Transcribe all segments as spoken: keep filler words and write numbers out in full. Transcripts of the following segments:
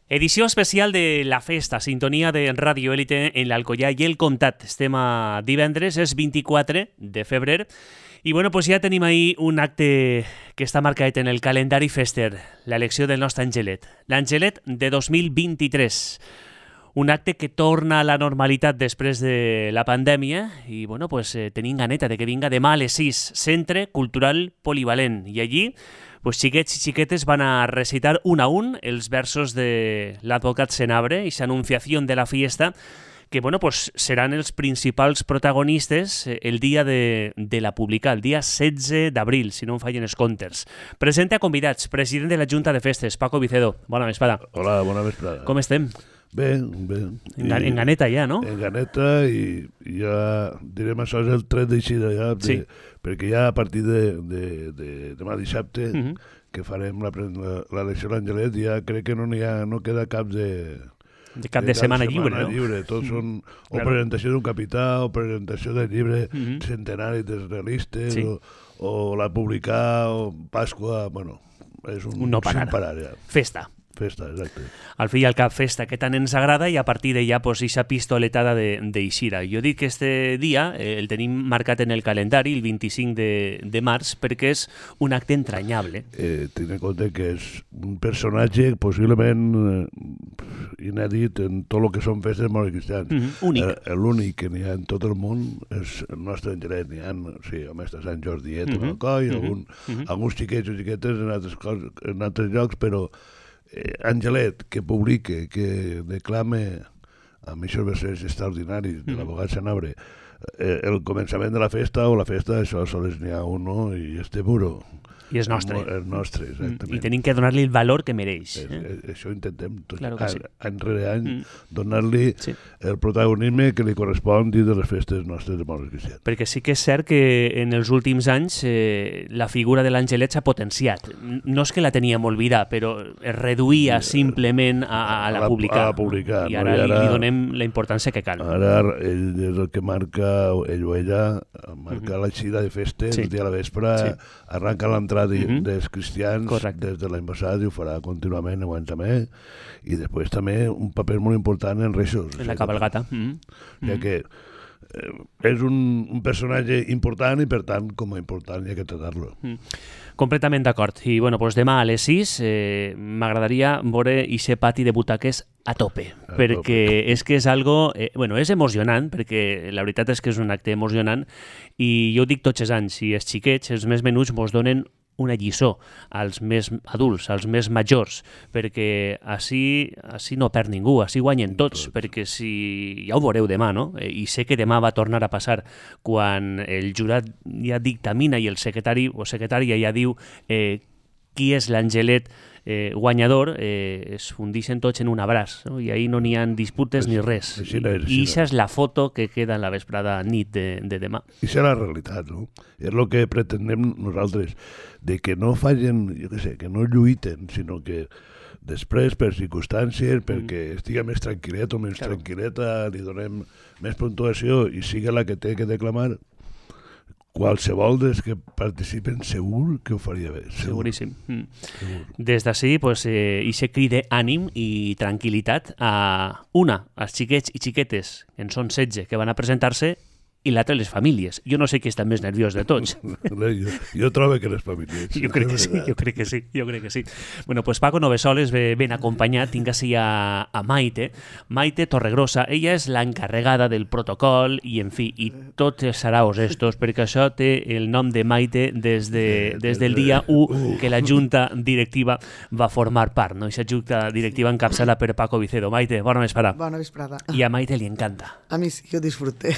Edició especial de La Festa, sintonia de Ràdio Élite en l'Alcoià i el Comtat. Estem a divendres, és vint-i-quatre de febrer, i bueno, pues ja tenim ahir un acte que està marcat en el calendari fester, l'elecció del nostre Angelet. L'Angelet de dos mil vint-i-tres. Un acte que torna a la normalitat després de la pandèmia i bueno, pues, eh, tenim ganeta de que vinga demà a les sis, Centre Cultural Polivalent. I allí pues, xiquets i xiquetes van a recitar un a un els versos de l'advocat Senabre i s'anunciació de la fiesta, que bueno, pues, seran els principals protagonistes el dia de, de la publicar, el dia setze d'abril, si no em fallen els comptes. Presente a convidats, president de la Junta de Festes, Paco Vicedo. Bona vesprada. Hola, bona vesprada. Com estem? Bé, bé. En, I, en ganeta ja, no? En ganeta i, i ja direm això és el tret d'eixida ja, de, sí. perquè ja a partir de, de, de demà dissabte uh -huh. que farem l'elecció a l'Angelet ja crec que no n'hi ha, no queda cap de... De cap de, de setmana, setmana lliure, no? lliure. Tots són o claro. presentació d'un capità o presentació del llibre uh -huh. centenari dels realistes sí. o, o la publicar o Pasqua, bueno, és un, un no parar. Sin parar ja. Festa. Festa, exacte. Al fi i al cap festa que tant ens agrada i a partir d'allà pues, ixa pistoletada d'eixida. Jo dic que este dia eh, el tenim marcat en el calendari el vint-i-cinc de, de març perquè és un acte entranyable. Eh, Tinc en compte que és un personatge possiblement eh, inèdit en tot el que són festes molt cristians. Mm -hmm. Únic. Eh, L'únic que n'hi ha en tot el món és el nostre Angelet. N'hi ha, sí, el mestre Sant Jordiet, mm -hmm. Alcoi, mm -hmm. algun, mm -hmm. alguns xiquets o xiquetes en altres, coses, en altres llocs, però Eh, Angelet, que publique, que declame amb aquests versets extraordinaris de l'abogat Senabre eh, el començament de la festa o la festa, això sols n'hi ha un, no? I este muro. I és nostre. És nostre, exactament. I tenim que donar-li el valor que mereix. Eh? Eh, això intentem, tot, claro que sí. any rere any, mm. donar-li sí. el protagonisme que li correspon dins de les festes nostres de molts cristians. Perquè sí que és cert que en els últims anys eh, la figura de l'Angelet s'ha potenciat. No és que la teníem oblidada, però es reduïa sí, simplement a, a la, la publicar. A la publicar. I ara, no? I ara li donem la importància que cal. Ara ell és el que marca, ell o ella, marca mm -hmm. l'eixida de festes, sí. el dia a la vespre, sí. arranca l'entrada de, mm -hmm. dels cristians Correcte. Des de l'any passat i ho farà contínuament, aguant també, i després també un paper molt important en Reixos. En la cabalgata. Mm -hmm. Ja que eh, és un, un personatge important i per tant com a important hi ha que tractar-lo. Mm. Completament d'acord. I bueno, doncs demà a les sis eh, m'agradaria veure ixe pati de butaques a tope, a perquè tope. És que és algo, eh, bueno, és emocionant, perquè la veritat és que és un acte emocionant i jo ho dic tots els anys, i els xiquets, els més menuts, mos donen una lliçó als més adults, als més majors, perquè així, així no perd ningú, així guanyen tots, tots, perquè si ja ho veureu demà, no? I sé que demà va tornar a passar quan el jurat ja dictamina i el secretari o secretària ja diu eh, qui és l'Angelet eh, guanyador, eh, es fundixen tots en un abraç, no? I ahir no n'hi ha disputes ni res. Així no és, I això és la foto que queda en la vesprada nit de, de demà. I això és la realitat, no? És el que pretenem nosaltres, de que no fallen, jo què sé, que no lluiten, sinó que després, per circumstàncies, perquè mm. estiga més tranquil·let o més claro. tranquil·leta, li donem més puntuació i siga la que té que declamar, qualsevol dels que participen segur que ho faria bé. Segur. Seguríssim. Mm. Segur. Des d'ací, pues, eh, ixe cride ànim i tranquil·litat a una, als xiquets i xiquetes, en són setze, que van a presentar-se, i l'altre les famílies. Jo no sé qui està més nerviós de tots. jo, jo trobo que les famílies. Jo crec que sí, jo crec que sí, jo crec que sí. Bueno, pues Paco Novesoles ve ben acompanyat, tinc així a, a Maite, Maite Torregrosa, ella és l'encarregada del protocol i, en fi, i tots els saraos estos, perquè això té el nom de Maite des, de, des del dia u que la Junta Directiva va formar part, no? Aquesta Junta Directiva encapçada per Paco Vicedo. Maite, bona vesprada. Bona vesprada. I a Maite li encanta. A mi sí, jo disfruté.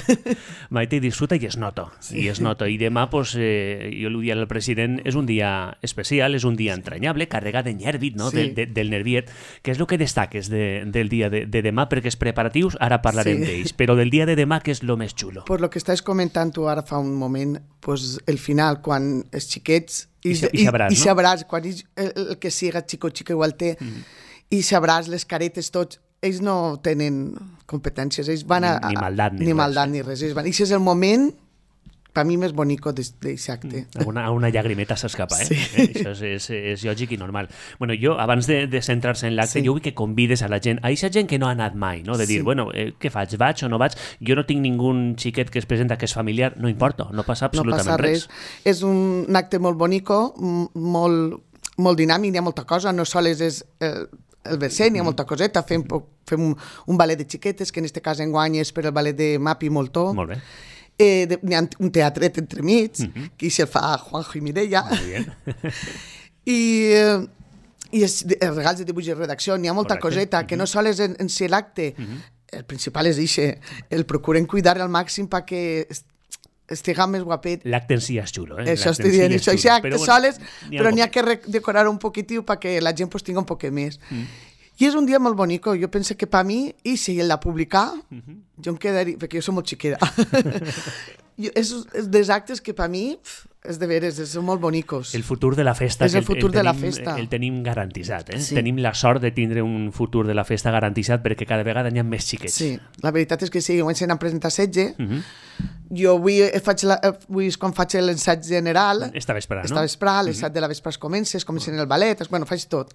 Maite disfruta i es nota, sí. i es nota. I demà, pues, eh, jo l'ho dia al president, és un dia especial, és un dia entranyable, carregat de nervit, no? Sí. de, de, del nerviet. Què és el que destaques de, del dia de, de demà? Perquè els preparatius, ara parlarem sí. d'ells, però del dia de demà, què és el més xulo? Pues lo que estàs comentant tu ara fa un moment, pues el final, quan els xiquets... I, i, i sabràs, i, no? I sabràs, quan el, el que siga xico o xica igual té, mm. i sabràs les caretes tots, ells no tenen competències, ells van a... Ni maldat ni, ni, maldat, ni res. Ells van, i si és el moment per mi més bonico d'aquest acte. Mm. Una, una llagrimeta s'escapa, eh? Sí. eh? Això és, és, és lògic i normal. Bueno, jo, abans de, de centrar-se en l'acte, Sí. jo vull que convides a la gent, a aquesta gent que no ha anat mai, no? De dir, Sí. bueno, eh, què faig? Vaig o no vaig? Jo no tinc ningú xiquet que es presenta que és familiar, no importa, no passa No absolutament passa res. res. És un acte molt bonico, m- molt, molt dinàmic, hi ha molta cosa, no sols és el, el verset, n'hi ha molta coseta, fem, po- fem un, un ballet de xiquetes, que en aquest cas enguany és per el ballet de Mapi Moltó. Molt bé. Eh, de, n'hi ha un teatret entremig, Mhm. mm -hmm. que se'l fa Juanjo i Mireia. Molt bé. I, eh, i els, els regals de dibuix i redacció, n'hi ha molta Correcte. coseta, que no sols en, en ser l'acte, el principal és ixe, el procuren cuidar al màxim perquè est- estiga més guapet. L'acte en si és xulo, eh? Això L'acte estic en si dient, és això, xulo. això acte Però, bueno, soles, n'hi ha però n'hi ha poquet. que re- decorar un poquitiu perquè la gent pues, tinga un poquet més. Mm. I és un dia molt bonico, jo penso que per mi, i si el de publicar, mm-hmm. jo em quedaria, perquè jo soc molt xiquera, jo, és, és dels actes que per mi pf, és de veres, són molt bonicos. El futur de la festa. És el que futur el de la tenim, festa. El tenim garantitzat, eh? Sí. Tenim la sort de tindre un futur de la festa garantitzat perquè cada vegada n'hi ha més xiquets. Sí, la veritat és que sí, quan se n'han presentat setze, Uh -huh. jo avui, eh, faig la, eh, avui és quan faig l'ensaig general, Esta vesprada, no? esta vesprada, les set de la vespre es comença, es comença en el ballet, es, bueno, faig tot.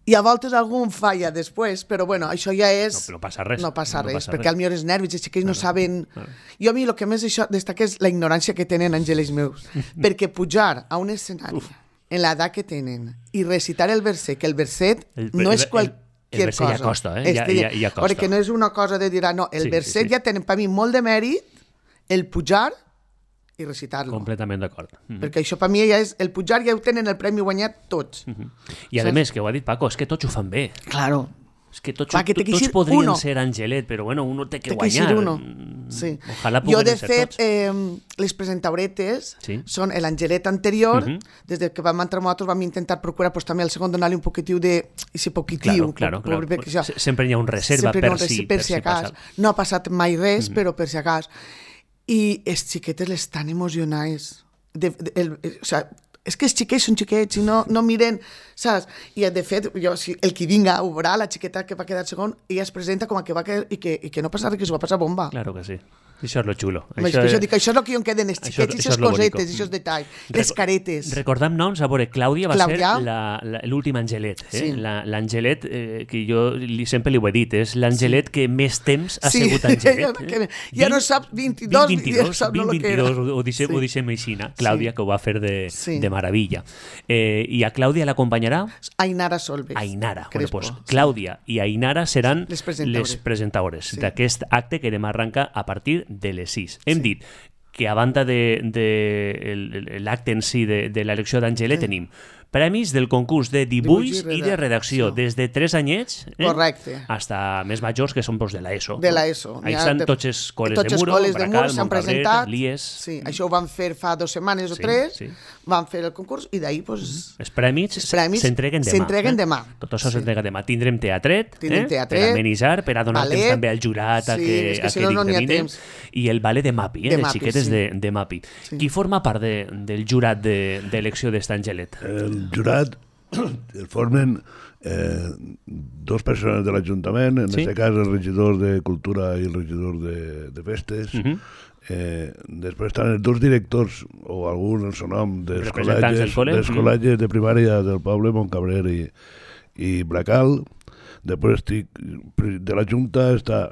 I a voltes algú em falla després, però bueno, això ja és... No, no passa res. No passa No res, passa perquè res. al millor els nervis, els xiquets no Claro, saben... claro. Jo a mi el que més això destaca és la ignorància que tenen àngeles meus, perquè pujar a un escenari Uf. en l'edat que tenen i recitar el verset, que el verset El- no el- és el- qualsevol el verset cosa. ja costa, eh? Ja- Este- ja- ja costa. Perquè no és una cosa de dir, ah, no, el Sí, sí, verset sí. ja tenen per mi molt de mèrit el pujar i recitar-lo. Completament d'acord. Mhm. Perquè això per mi ja és... El pujar ja ho tenen el premi guanyat tots. I a Saps? més, que ho ha dit Paco, és que tots ho fan bé. Claro. És que tots, Clar, que té que tots ser podrien uno. ser Angelet, però bueno, uno té que Té que guanyar. ser uno. Mm, Sí. Ojalà Jo, pogueren de ser fet, tots. eh, les presentauretes Sí. són l'Angelet anterior. Mhm. Des de que vam entrar nosaltres vam intentar procurar pues, també al segon donar-li un poquitiu de... I ser Claro, poquitiu. claro, per- claro. perquè això- Se- Sempre hi ha un reserva sempre per, no, si, per si a cas. passa. No ha passat mai res, Mhm. però per si a cas. I els xiquetes l'estan emocionats. De, de, el, el, o sea, és que els xiquets són xiquets i no, no miren, saps? I de fet, jo, si el que vinga veurà la xiqueta que va quedar segon, ella es presenta com a que va quedar, i que, i que no passa res, que s'ho va passar bomba. Claro que sí. Això és lo xulo. Això, això, això, dic, això és el que jo em queden, els això- xiquets, això aquestes és lo bonico. cosetes, aquests detalls, les Reco- caretes. Recordam noms, a veure, Clàudia va Clàudia. ser la- la- l'últim Angelet. Eh? Sí. La- L'Angelet, eh, que jo li, sempre li ho he dit, és l'Angelet que més temps ha Sí, sigut Angelet. ja- que- ja no saps, vint-i-dos, vint, ja no saps lo que era. vint-i-dos, ho deixem, Sí. ho deixem així, Clàudia, Sí. que ho va fer de, Sí. de meravella. Eh, I a Clàudia l'acompanyarà Ainara Solves. Ainara. Bueno, Crespo, pues, sí. Clàudia i Ainara seran Les presentadores. les presentadores Sí. d'aquest acte que demà arranca a partir de les sis. Hem Sí. dit que a banda de, de el- el- l'acte en si de, de l'elecció d'Angelet Sí. tenim premis del concurs de dibuix, Dibuix i i de redacció, redacció. des de tres anyets eh, Correcte. hasta més majors, que són pues, de l'ESO. De l'ESO. Ahí N'hi ha estan de- tots els col·les tots de els Muro, col·les de Bracal, Muro s'han Montcabrer, presentat. l'I E S. Sí, això ho van fer fa dues setmanes o Sí, tres. sí. Van fer el concurs i d'ahir pues, Els prèmits Els prèmits s'entreguen demà. s'entreguen eh? demà. Tot això Sí. s'entrega demà. Tindrem teatret, Tindrem eh? teatret, per amenitzar, per a donar ballet. temps també al jurat a Sí, que, és que a si que no, no n'hi ha dictamine. temps. I el ballet de Mapi, eh? De les Mapi, xiquetes sí. de, de Mapi. Sí. Qui forma part de, del jurat de- d'elecció de, d'esta Angelet? El jurat el formen eh, dos persones de l'Ajuntament, en Sí. aquest cas el regidor de Cultura i el regidor de, de Festes. Uh -huh. eh, després estan els dos directors, o algun el seu nom, dels Representants del col·legis, col·le. dels Mm. col·legis de primària del poble, Montcabrer i, i Bracal. Després estic, de la Junta està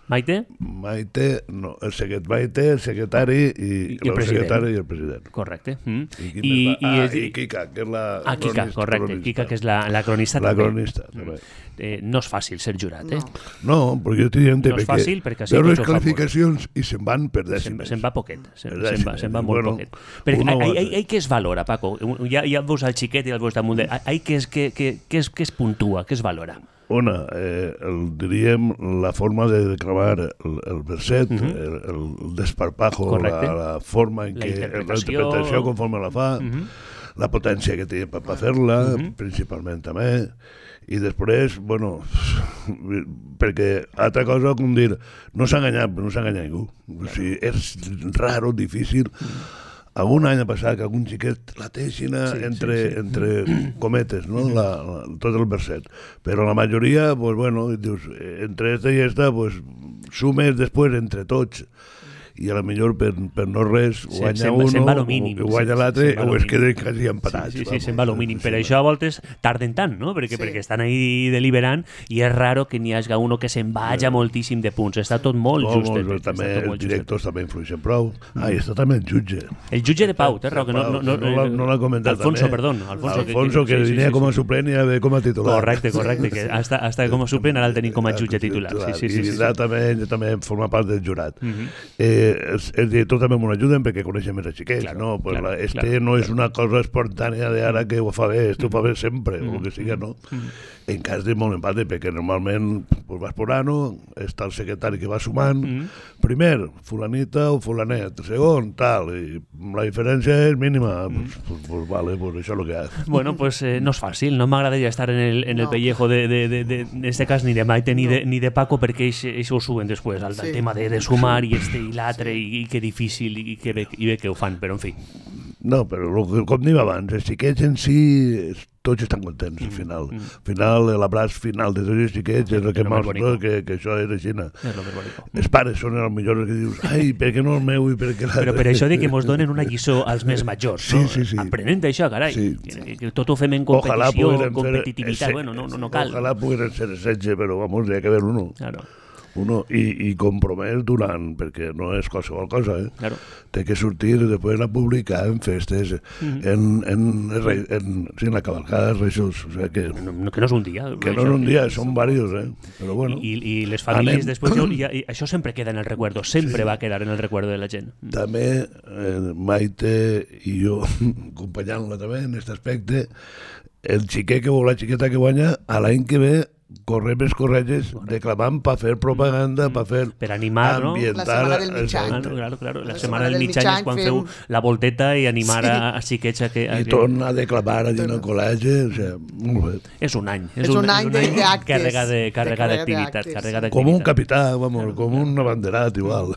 Maite? Maite, no, el secret, Maite, el secretari i, I el el, president. secretari i el president. Correcte. Mm. I, qui I, més va? ah, és- i Kika, que és la Ah, Kika, cronista- correcte. cronista. Kika, que és la, la cronista La també. cronista, també. Eh, no és fàcil ser jurat, eh? No. No, perquè jo estic dient No és fàcil, perquè així veus les tots ho fan qualificacions i se'n van per Se'n dècimes. se'n va poquet, se'n Per se'n va, dècimes. se'n va molt Bueno, poquet. Perquè uno ai, o ai, altre. ai, què es valora, Paco? Ja, ja veus al xiquet i el veus damunt de... Ai, què es, què, què, què es, què es puntua, què es valora? Una, eh, el, diríem, la forma de declamar el, el verset, uh Mhm. -huh. el, el desparpajo, Correcte. la, la forma en La què... interpretació. La interpretació conforme la fa, uh Mhm. -huh. la potència que té per fer-la, uh Mhm. -huh. principalment també, i després, bueno, perquè altra cosa, com dir, no s'ha enganyat, no s'ha enganyat ningú. O sigui, és raro, difícil. Algun any ha passat que algun xiquet la teixin Sí, entre, sí, sí. entre cometes, no? La, la, tot el verset. Però la majoria, pues bueno, dius, eh, entre esta i esta, pues sumes després entre tots. i a la millor per, per no res guanya se, uno, se'n va lo mínim, o guanya l'altre, o es queden quasi empatats. Sí, sí, sí, se'n va lo mínim. Per això a voltes tarden tant, no? Perquè, sí. perquè estan ahí deliberant i és raro que n'hi hagi uno que se'n vaja moltíssim de punts. Està tot molt no, just. Molt, també els directors també influeixen prou. Ah, i està també el jutge. El jutge de Pau, té raó, que no, no, no, no, no l'ha comentat. Alfonso, també. perdó. Alfonso, Alfonso, que, que, que venia sí, sí, com a suplent i ve com a titular. Correcte, correcte, que hasta, hasta com a suplent ara el tenim com a jutge titular. Sí, sí, sí, I sí, sí. sí. també, també forma part del jurat. Uh -huh. eh, els, els directors també m'ho ajuden perquè coneixen més els xiquets, claro, no? Pues claro, la, este claro, no és claro. una cosa espontània d'ara que ho fa bé, este ho fa bé sempre, uh -huh. o el que sigui, no? Uh -huh. En cas de molt empate, perquè normalment pues, vas por ano, està el secretari que va sumant, uh -huh. primer, fulanita o fulanet, segon, tal, i la diferència és mínima, uh -huh. pues, pues, pues vale, pues això és el que hi ha. Bueno, pues eh, no és fàcil, no m'agradaria estar en el, en el no. pellejo de, de, de, de, en este cas ni de Maite ni, no. de, ni de Paco perquè ells ho suben després, el, sí. el tema de, de sumar i este i l'altre sí. i, i que difícil i que bé, i bé que ho fan, però en fi. No, però com dèiem abans, els xiquets en si tots estan contents al final. Mm, mm. Al final, l'abraç final de tots els xiquets és el que mostra que, que això és així. És lo més bonic. Els pares són els millors que dius, ai, per què no el meu i per què l'altre? Però per això de que mos donen una lliçó als més majors, sí, no? Sí, sí. Aprenent això, carai. Sí. Que, que tot ho fem en competició, en competitivitat. Bueno, no, no, no cal. Ojalà pogueren ser setze, però vamos, hi ha que haver uno. Claro. Uno, i, i compromès durant, perquè no és qualsevol cosa, eh? Claro. Té que sortir i després la publicar en festes, mm -hmm. en, en, en, en, sí, en la cavalcada de Reixos. O sea que, no, que no és un dia. Que no és un dia, són diversos, eh? Però bueno. I, i les famílies anem. Després, i, i això sempre queda en el recuerdo, sempre sí. va quedar en el recuerdo de la gent. També eh, Maite i jo, acompanyant-la també en aquest aspecte, el xiquet que vol, la xiqueta que guanya, a l'any que ve correm els corretges declamant per fer propaganda, per fer per animar, ambientar, no? La setmana del mig any. Ah, no, claro, claro. La, la setmana del mig any és quan feu la volteta i animar sí. a, a xiquets a que... A I que... torna a declamar allà en el col·legi, o sigui, molt bé. És un any. És, és un, un any d'actes. Carregat d'activitat. Com un capità, vamos, com un abanderat, igual.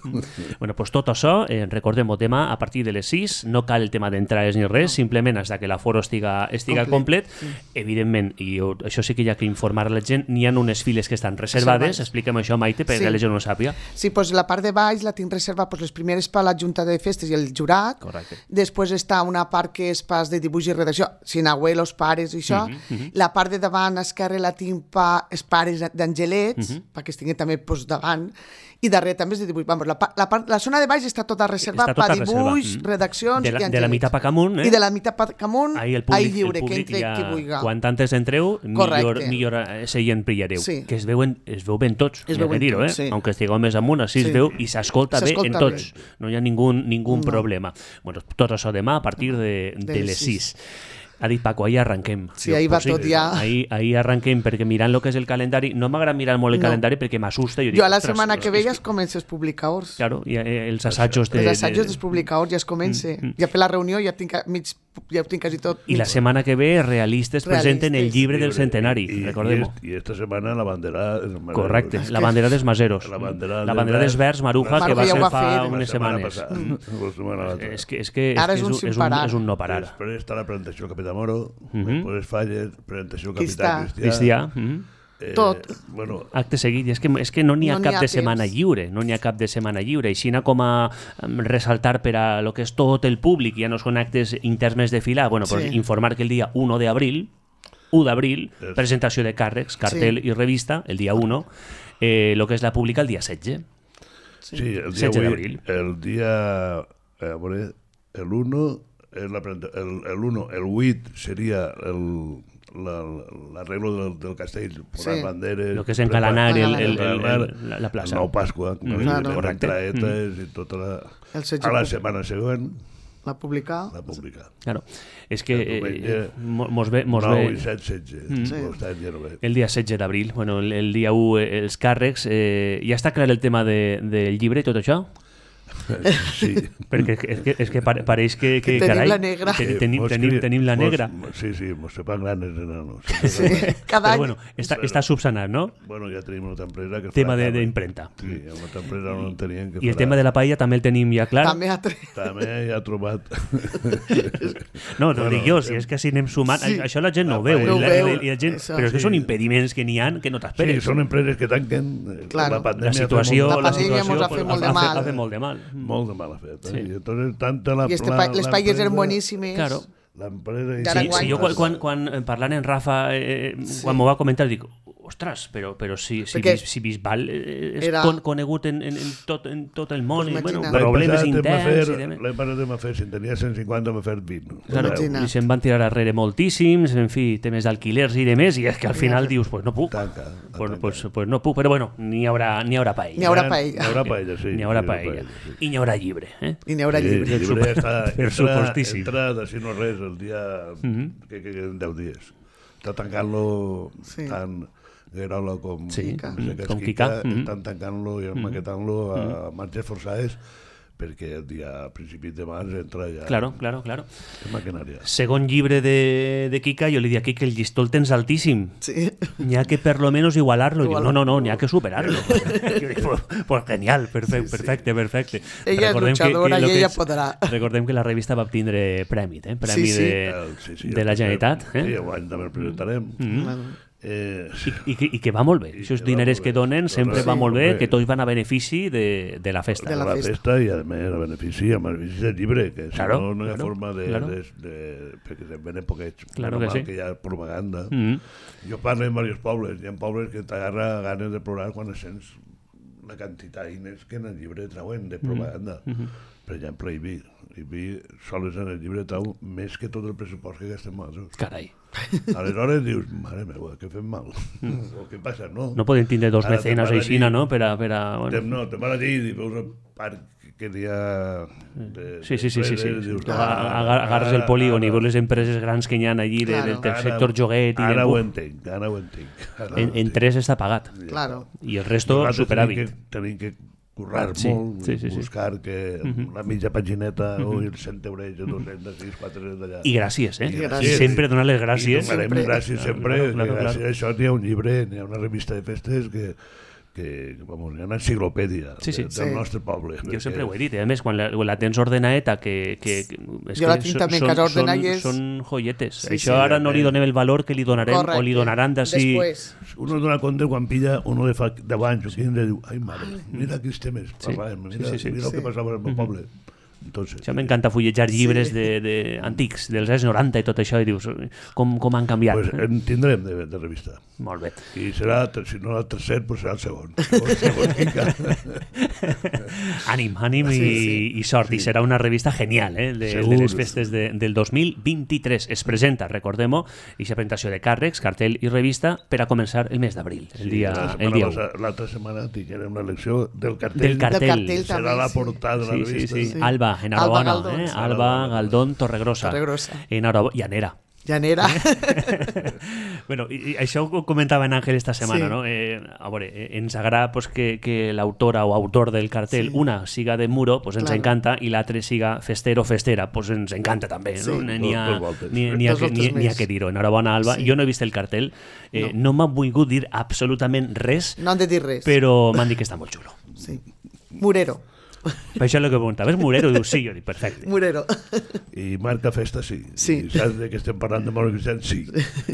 Bueno, pues tot això, eh, recordem-ho, demà a partir de les sis, no cal el tema d'entrades ni res, simplement fins que l'aforo estiga, estiga complet. Evidentment, i això sí que hi ha que informar a la gent, n'hi ha unes files que estan reservades. Expliquem això, Maite, perquè sí. la gent no ho sàpiga. Sí, pues la part de baix la tinc reservada, pues les primeres per la Junta de Festes i el jurat. Correcte. Després està una part que és pas de dibuix i redacció, sin abuelos, pares i això. Uh -huh, uh -huh. La part de davant, a esquerra, la tinc per els pares d'Angelets, uh -huh. perquè estiguen també pues, davant. I darrere també és de dibuix. Vamos, la, la, part, la zona de baix està tota reservada per dibuix, mm. redaccions de la, i angelets. De la meitat pa camunt, eh? I de la meitat pa camunt, ahí el públic, lliure, el que entre ja, qui vulgui. Quan antes entreu, millor, millor seient pillareu. Sí. Que es veuen, es veu ben tots, es veuen dir-ho, eh? Sí. Aunque estigueu més amunt, així sí. es veu i s'escolta bé en tots. Bé. No hi ha ningú, ningú no. problema. Bueno, tot això demà a partir de, de, de les sis. Ha dit Paco, ahir arrenquem. Sí, ahir va tot ja. Ahir, ahir arrenquem, perquè mirant el que és el calendari, no m'agrada mirar molt el no. calendari perquè m'assusta. Jo, jo a la setmana que ve ja es comença els publicadors. Claro, i els assajos de... Els assajos dels publicadors ja es comença. Mm, mm. Ja per la reunió ja tinc, mig, ja ho tinc quasi tot. I la setmana que ve realistes, realistes. presenten el llibre del centenari, recordem-ho. I esta setmana la bandera... Correcte, es la bandera dels Maseros. La bandera, la bandera dels Verds, Maruja, Maruja, que va ser fa unes setmanes. És que és que és un no parar. Després està la presentació del Capità Moro, després falles, presentació del Capità Cristià. Eh, tot. Bueno, acte seguit, és que, és que no n'hi ha no cap ha de temps. setmana lliure, no n'hi ha cap de setmana lliure, així com a ressaltar per a lo que és tot el públic, ja no són actes interns més de filar, bueno, pues sí. informar que el dia u d'abril, u d'abril, es... presentació de càrrecs, cartel sí. i revista, el dia u, eh, lo que és la pública el dia setze. Sí, sí el dia setze d'abril. El dia, a veure, el u, el, el u, el vuit seria el... l'arreglo del, del castell, posar sí. banderes... El que és encalanar el, el, el, el, la, la plaça. El nou Pasqua, mm, claro. les entraetes mm. i tota la... A la setmana següent... La publicar. La publicar. Claro. És que eh, mos ve... Mos nou ve... i set, setze. Mm. Sí. El dia setze d'abril, bueno, el, el dia u, els càrrecs... Eh, ja està clar el tema de, del llibre i tot això? Sí. Perquè és que, és que pareix que, que, que tenim carai, la negra. Ten, tenim, tenim, tenim la negra. Mos, sí, sí, mos sepan granes enanos. Sí, cada Però bueno, està, està subsanat, no? Bueno, ja tenim una altra empresa que tema d'imprenta. Sí, una altra empresa no en tenien que I el tema de la paella també el tenim ja clar? També ha, també ja ha trobat. No, no bueno, dic jo, si és que si anem sumant, sí. això la gent no ho veu. No i la, veu. I la gent, Eso, però és que sí. són impediments que n'hi ha que no t'esperes. Sí, són empreses que tanquen. Claro. La pandèmia, la situació, la pandèmia ens ha fet molt de mal. Ha fet molt de mal. molt de mala feta. Sí. I entonces, tanta la, I este la, pa les paelles eren l'empresa- boníssimes. Claro. L'empresa... I Sí, ara sí, guany. jo quan, quan, quan eh, parlant en Rafa, eh, Sí. quan m'ho va comentar, dic, ostres, però, però si, si, Perquè Bis, si Bisbal eh, és era- con, conegut en, en, en, tot, en tot el món, Pues i, bueno, imagina't. L'any problemes passat em va interns... fer- i demés. L'any passat em va fer, si en tenia cent cinquanta, m'ha fet vint. Claro, Imagina. i se'n van tirar darrere moltíssims, en fi, temes d'alquilers i demés, i és que al final dius, pues no puc. Tanca, Pues, tanca. pues, pues no puc, però bueno, n'hi haurà, n'hi haurà paella. N'hi haurà paella. N'hi haurà paella, sí. N'hi haurà sí, paella. sí. I n'hi haurà llibre, eh? I n'hi haurà Sí, llibre. el llibre està, Per entra, supostíssim. entra de si no res el dia Mhm. que, que queden deu dies. Està tancant-lo Sí. tant Guerola com, Sí, com, mhm, Seca com Esquica, Quica, mhm. estan tancant-lo i maquetant-lo a marxes forçades perquè el dia a principis de març entra ja Claro, claro, claro. en maquinària. Segon llibre de, de Kika, jo li dic a Kika, el llistó el tens altíssim. Sí. N'hi ha que per lo menos igualarlo. Diu, Igualar. no, no, no, n'hi ha que superarlo. pues, pues genial, perfecte, perfecte, perfecte. Ella és Recordem luchadora lo i que ella és- podrà. Recordem que la revista va obtindre prèmit, eh? Premi Sí, sí. de, El- sí, sí, de la el- Generalitat. Sí, Eh? guany també el presentarem. Bueno, Eh, I, i, que- I que va molt bé. I Això que va diners molt que bé. donen sempre Sí, va molt bé, molt bé. que tots van a benefici de, de la festa. De la la festa. festa i a més a benefici, a benefici del llibre, que si Claro, no no hi ha claro, forma de, claro. de, de, perquè se'n venen poquets, Claro normal que sí. que hi ha propaganda. Mm. Jo parlo en diversos pobles, hi ha pobles que t'agarra ganes de plorar quan sents la quantitat d'iners que en el llibre trauen de propaganda. Mhm. Per exemple, Ibi. Ibi sols en el llibre trau més que tot el pressupost que gastem nosaltres. Carai. Aleshores dius, mare meva, què fem mal? O què passa, no? No podem tindre dos Ara mecenes te'n vas aixina, allí, no? Per a... Per a Te, bueno. no, te vas allí i veus el parc que n'hi ha... De, Sí, sí, sí, sí, sí. de- dius, Tu "Ah, aga- agarres el ara- polígon i ara- veus les empreses grans que hi ha allí de, Claro. del ara- sector joguet i Ara de... ho Uf, entenc, ara ho entenc. Ara ho en, en entenc. tres està pagat. claro. I el resto Nosaltres superàvit. Tenim que, tenim que currar Sí, molt, sí, sí, sí. buscar que la mitja pagineta o els cent euros, dos-cents, sis, quatre d'allà. I gràcies, eh? I I gràcies. sempre donar les gràcies. I donarem Sempre. gràcies sempre, Claro, claro, que gràcies claro. a això n'hi ha un llibre, n'hi ha una revista de festes que, que vamos, hi ha una enciclopèdia Sí, sí. de, del Sí. nostre poble. Jo perquè- sempre ho he dit, eh? A més, quan la, quan la tens ordenadeta, que, que, que és Jo que la tinc també en casa ordenada i és- Són joietes. Sí, Això sí. ara no li donem el valor que li donarem o li Correcte. donaran d'ací... Després. Uno dona compte quan pilla uno de fa deu anys o quinze, diu, ai mare, mira aquells temes, Sí. parlàvem, mira, Sí, sí, sí. mira el que Sí. passava al meu poble. Entonces, Això m'encanta fullejar llibres Sí. de, de, antics, dels anys noranta i tot això, i dius, com, com han canviat. pues, en tindrem de, de revista. Molt bé. I serà, si no el tercer, pues serà el segon. Segon, segon quinca. Ànim, ànim i, Sí, sí. i sort. I serà una revista genial, eh? De, de Segur. les festes de, del dos mil vint-i-tres. Es presenta, recordem-ho, aquesta presentació de càrrecs, cartell i revista per a començar el mes d'abril, el dia, La el setmana dia u. passa- L'altra setmana tinguem una lecció del cartell. Del cartell. Del cartell Serà també, la sí. portada de la Sí, sí, revista. sí. Sí. Alba, enhorabona. Alba Galdón, eh? sí. Alba Galdón, Torregrossa. Torregrossa. Enhorabona. I Anera. Llanera. Bueno, i, i això ho comentava en Àngel esta setmana, Sí. no? Eh, a veure, eh, ens agrada pues, que, que l'autora o autor del cartell, Sí. una siga de muro, pues ens Claro. encanta, i l'altre siga festero o festera, pues ens encanta també. Sí. No? N'hi ha, Dos- dos voltes. n'hi, n'hi ha, Dos que, voltes n'hi, n'hi ha més. que dir-ho. Enhorabona, Alba. Sí. Jo no he vist el cartell, eh, no, no m'ha volgut dir absolutament res, No han de dir res. però m'han dit que està molt xulo. Sí. Murero. Per això és el que preguntava, és Morero? Diu, sí, jo dic, perfecte. Murero. I marca festa, sí. Sí. I saps de que estem parlant de Moros Cristians? Sí.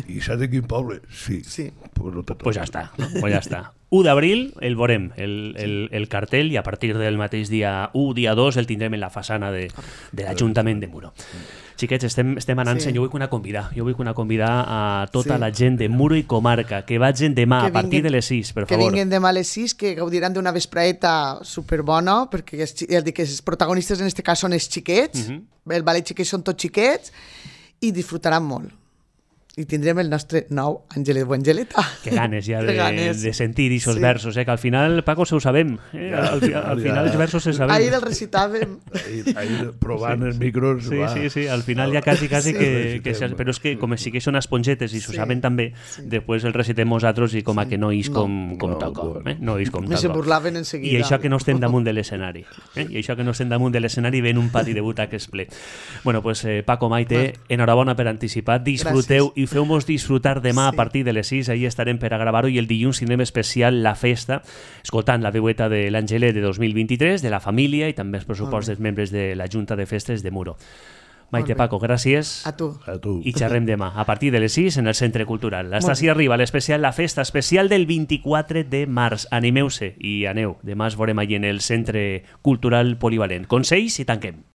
I saps de quin poble? Sí. Sí. Pues, no te Pues ja està, no? Pues ja està. u d'abril el veurem, el, el, el cartell, i a partir del mateix dia u, dia dos, el tindrem en la façana de, de l'Ajuntament de Muro. Xiquets, estem, estem anant, Sí. jo vull que una convidar, jo vull que una convidar a tota Sí. la gent de Muro i comarca, que vagin demà Que a partir vinguen- de les sis, per Que favor. vinguin demà a les sis, que gaudiran d'una vespraeta superbona, perquè els, xi- ja dic que els protagonistes en este cas són els xiquets, Mhm. el ballet xiquets són tots xiquets, i disfrutaran molt. I tindrem el nostre nou Àngelet Buengeleta. Que ganes ja Que de, ganes. de sentir aquests Sí. versos, eh? Que al final, Paco, se ho sabem. Eh? Ja, al, fi- al ja. final els versos se sabem. Ahir el recitàvem. Ahir, ahir provant els micros... Sí, va. sí, sí, al final ja quasi, quasi Sí. que, que... se- Però és que com sí que són espongetes i s'ho Sí. saben també, després el recitem nosaltres i com a que no is com, com No, toca. bueno. Eh? No is com Me se toca. burlaven enseguida. I això que no estem damunt de l'escenari. Eh? I això que no estem damunt de l'escenari ven un pati de butaques ple. Bueno, pues eh, Paco, Maite, enhorabona per anticipat. Disfruteu Gràcies. i feu-nos disfrutar demà Sí. a partir de les sis. Ahí estarem per a gravar-ho i el dilluns tindrem especial La Festa, escoltant la veueta de l'Angelet de dos mil vint-i-tres, de la família i també els pressupost dels membres de la Junta de Festes de Muro. Maite Molt bé. Paco, gràcies. A tu. A tu. I xerrem demà, a partir de les sis en el Centre Cultural. Hasta així arriba l'especial, la festa especial del vint-i-quatre de març. Animeu-se i aneu. Demà es veurem allí en el Centre Cultural Polivalent. Consells i tanquem.